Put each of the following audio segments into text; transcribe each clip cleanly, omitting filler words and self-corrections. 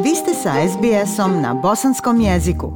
Vi ste sa SBS-om na bosanskom jeziku.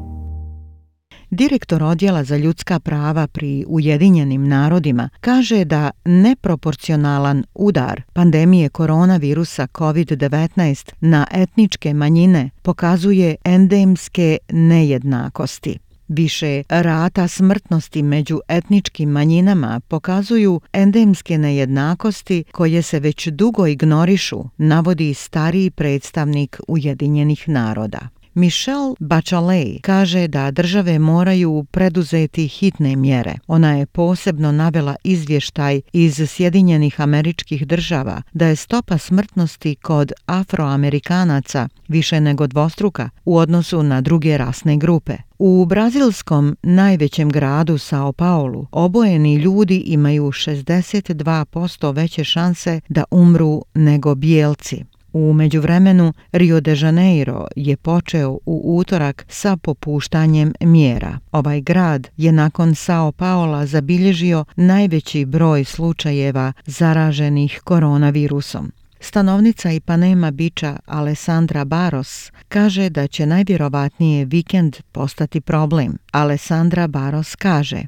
Direktor Odjela za ljudska prava pri Ujedinjenim narodima kaže da neproporcionalan udar pandemije koronavirusa COVID-19 na etničke manjine pokazuje endemske nejednakosti. Više rata smrtnosti među etničkim manjinama pokazuju endemske nejednakosti koje se već dugo ignorišu, navodi stariji predstavnik Ujedinjenih naroda. Michelle Bachelet kaže da države moraju preduzeti hitne mjere. Ona je posebno navela izvještaj iz Sjedinjenih Američkih Država da je stopa smrtnosti kod Afroamerikanaca više nego dvostruka u odnosu na druge rasne grupe. U brazilskom najvećem gradu Sao Paulo obojeni ljudi imaju 62% veće šanse da umru nego bijelci. U međuvremenu, Rio de Janeiro je počeo u utorak sa popuštanjem mjera. Ovaj grad je nakon Sao Paula zabilježio najveći broj slučajeva zaraženih koronavirusom. Stanovnica Ipanema Beacha Alessandra Barros kaže da će najvjerovatnije vikend postati problem. Alessandra Barros kaže: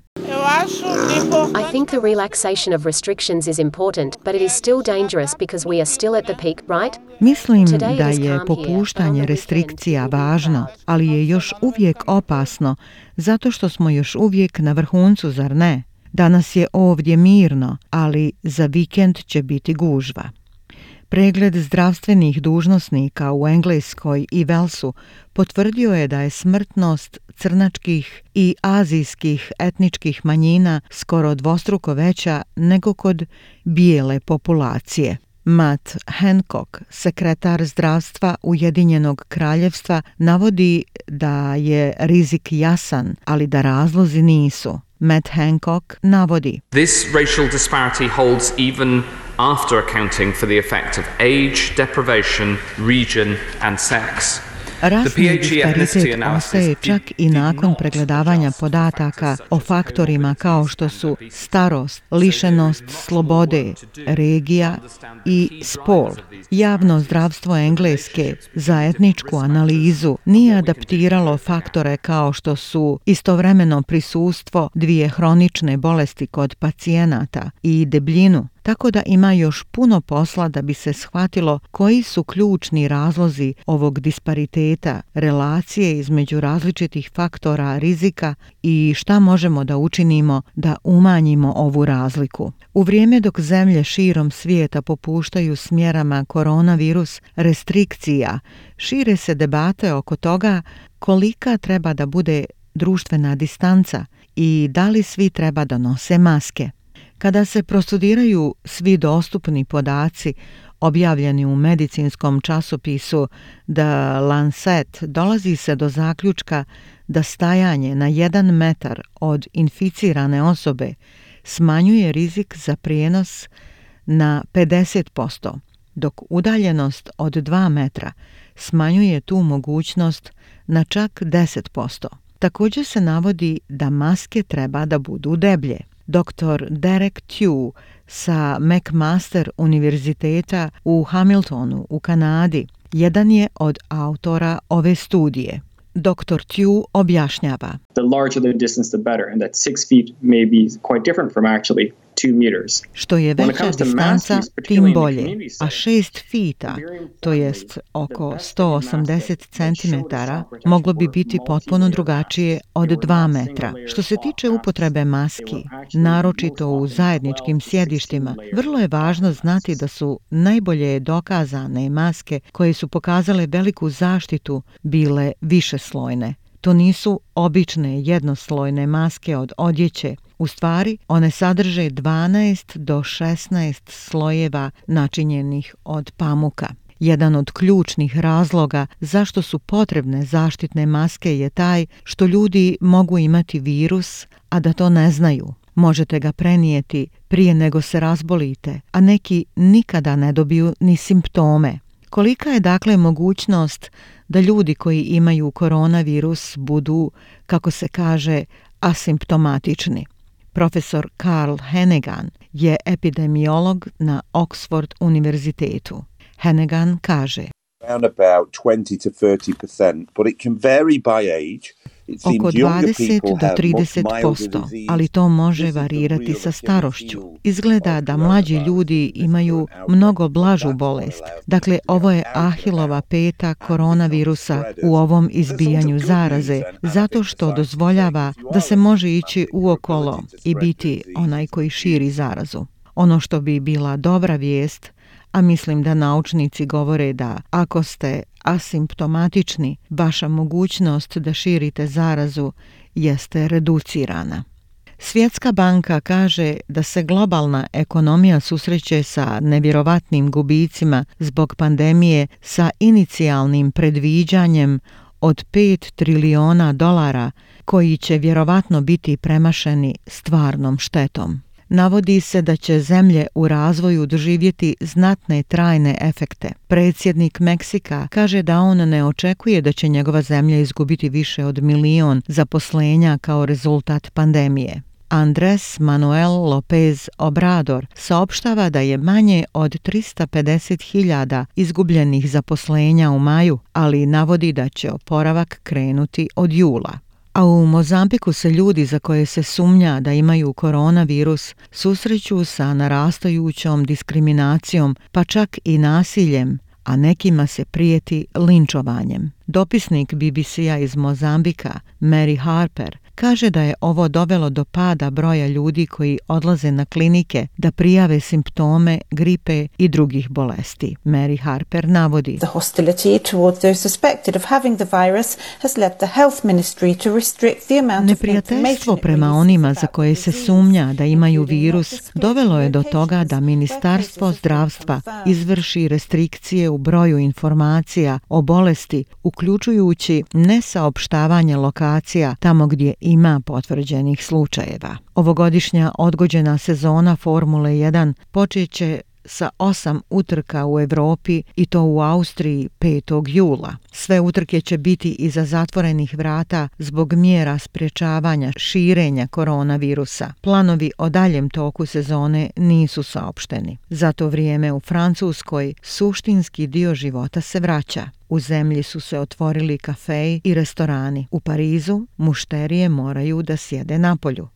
I think the relaxation of restrictions is important, but it is still dangerous because we are still at the peak, right? Mislim da je popuštanje restrikcija važno, ali je još uvijek opasno zato što smo još uvijek na vrhuncu, zar ne? Danas je ovdje mirno, ali za vikend će biti gužva. Pregled zdravstvenih dužnosnika u Engleskoj i Walesu potvrdio je da je smrtnost crnačkih i azijskih etničkih manjina skoro dvostruko veća nego kod bijele populacije. Matt Hancock, sekretar zdravstva Ujedinjenog kraljevstva, navodi da je rizik jasan, ali da razlozi nisu. Matt Hancock navodi: This racial disparity holds even after accounting for the effect of age, deprivation, region and sex. Rasni disparitet ostaje čak i nakon pregledavanja podataka o faktorima kao što su starost, lišenost slobode, regija i spol. Javno zdravstvo Engleske za etničku analizu nije adaptiralo faktore kao što su istovremeno prisustvo dvije hronične bolesti kod pacijenata i debljinu, tako da ima još puno posla da bi se shvatilo koji su ključni razlozi ovog dispariteta, relacije između različitih faktora rizika i šta možemo da učinimo da umanjimo ovu razliku. U vrijeme dok zemlje širom svijeta popuštaju s mjerama koronavirus restrikcija, šire se debate oko toga kolika treba da bude društvena distanca i da li svi treba da nose maske. Kada se prostudiraju svi dostupni podaci objavljeni u medicinskom časopisu The Lancet, dolazi se do zaključka da stajanje na 1 metar od inficirane osobe smanjuje rizik za prijenos na 50%, dok udaljenost od 2 metra smanjuje tu mogućnost na čak 10%. Također se navodi da maske treba da budu deblje. Dr. Derek Tew sa McMaster univerziteta u Hamiltonu u Kanadi jedan je od autora ove studije. Dr. Tew objašnjava: The larger the distance, the better, and that 6 feet may be quite different from actually 2 meters. Što je veća distanca, tim bolje, a 6 fita, to jest oko 180 cm, moglo bi biti potpuno drugačije od 2 metra. Što se tiče upotrebe maski, naročito u zajedničkim sjedištima, vrlo je važno znati da su najbolje dokazane maske koje su pokazale veliku zaštitu bile višeslojne. To nisu obične jednoslojne maske od odjeće. U stvari, one sadrže 12 do 16 slojeva načinjenih od pamuka. Jedan od ključnih razloga zašto su potrebne zaštitne maske je taj što ljudi mogu imati virus, a da to ne znaju. Možete ga prenijeti prije nego se razbolite, a neki nikada ne dobiju ni simptome. Kolika je dakle mogućnost da ljudi koji imaju koronavirus budu, kako se kaže, asimptomatični? Profesor Carl Heneghan je epidemiolog na Oxford univerzitetu. Heneghan kaže: around about 20 to 30%, but it can vary by age. Oko 20 do 30%, ali to može varirati sa starošću. Izgleda da mlađi ljudi imaju mnogo blažu bolest. Dakle, ovo je Ahilova peta koronavirusa u ovom izbijanju zaraze, zato što dozvoljava da se može ići uokolo i biti onaj koji širi zarazu. Ono što bi bila dobra vijest, a mislim da naučnici govore da ako ste asimptomatični, vaša mogućnost da širite zarazu jeste reducirana. Svjetska banka kaže da se globalna ekonomija susreće sa nevjerovatnim gubicima zbog pandemije sa inicijalnim predviđanjem od $5 trilijona koji će vjerovatno biti premašeni stvarnom štetom. Navodi se da će zemlje u razvoju doživjeti znatne trajne efekte. Predsjednik Meksika kaže da on ne očekuje da će njegova zemlja izgubiti više od 1 milion zaposlenja kao rezultat pandemije. Andrés Manuel López Obrador saopštava da je manje od 350.000 izgubljenih zaposlenja u maju, ali navodi da će oporavak krenuti od jula. A u Mozambiku se ljudi za koje se sumnja da imaju koronavirus susreću sa narastajućom diskriminacijom, pa čak i nasiljem, a nekima se prijeti linčovanjem. Dopisnik BBC-a iz Mozambika, Mary Harper, kaže da je ovo dovelo do pada broja ljudi koji odlaze na klinike da prijave simptome gripe i drugih bolesti. Mary Harper navodi: The hostility towards those suspected of having the virus has led the health ministry to restrict the amount of Neprijateljstvo prema onima za koje se sumnja da imaju virus dovelo je do toga da Ministarstvo zdravstva izvrši restrikcije u broju informacija o bolesti, uključujući nesaopštavanje lokacija tamo gdje ima potvrđenih slučajeva. Ovogodišnja odgođena sezona Formule 1 počeće sa 8 utrka u Europi i to u Austriji 5. jula. Sve utrke će biti iza zatvorenih vrata zbog mjera sprječavanja širenja koronavirusa. Planovi o daljem toku sezone nisu saopšteni. Za to vrijeme u Francuskoj suštinski dio života se vraća. U zemlji su se otvorili kafeji i restorani. U Parizu mušterije moraju da sjede napolju.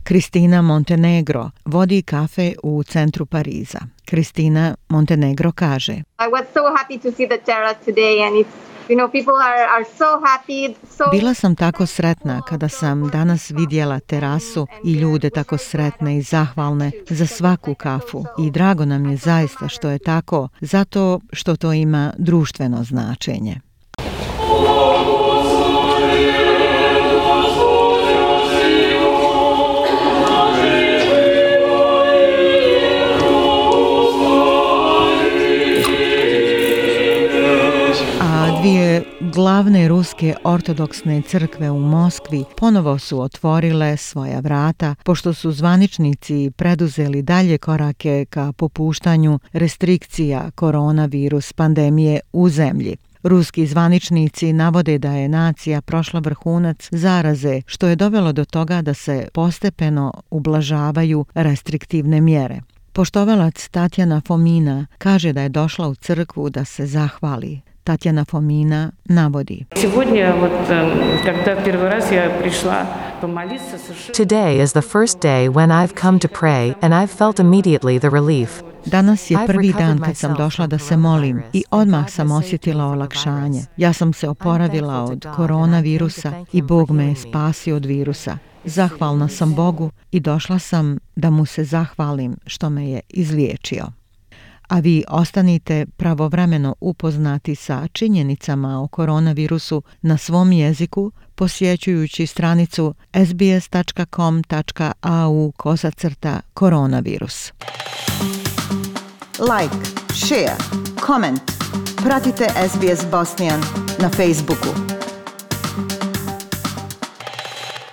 Kristina Montenegro vodi kafe u centru Pariza. Kristina Montenegro kaže: I was so happy to see the terrace today and people are so happy. Bila sam tako sretna kada sam danas vidjela terasu i ljude tako sretne i zahvalne za svaku kafu. I drago nam je zaista što je tako, zato što to ima društveno značenje. Dvije glavne ruske ortodoksne crkve u Moskvi ponovo su otvorile svoja vrata, pošto su zvaničnici preduzeli dalje korake ka popuštanju restrikcija koronavirus pandemije u zemlji. Ruski zvaničnici navode da je nacija prošla vrhunac zaraze, što je dovelo do toga da se postepeno ublažavaju restriktivne mjere. Poštovalac Tatjana Fomina kaže da je došla u crkvu da se zahvali. Tatjana Fomina navodi: Today is the first day when I've come to pray and I've felt immediately the relief. Danas je prvi dan kad sam došla da se molim i odmah sam osjetila olakšanje. Ja sam se oporavila od koronavirusa i Bog me je spasio od virusa. Zahvalna sam Bogu i došla sam da mu se zahvalim što me je izliječio. A vi ostanite pravovremeno upoznati sa činjenicama o koronavirusu na svom jeziku posjećujući stranicu sbs.com.au/koronavirus. Like, share, comment. Pratite SBS Bosnian na Facebooku.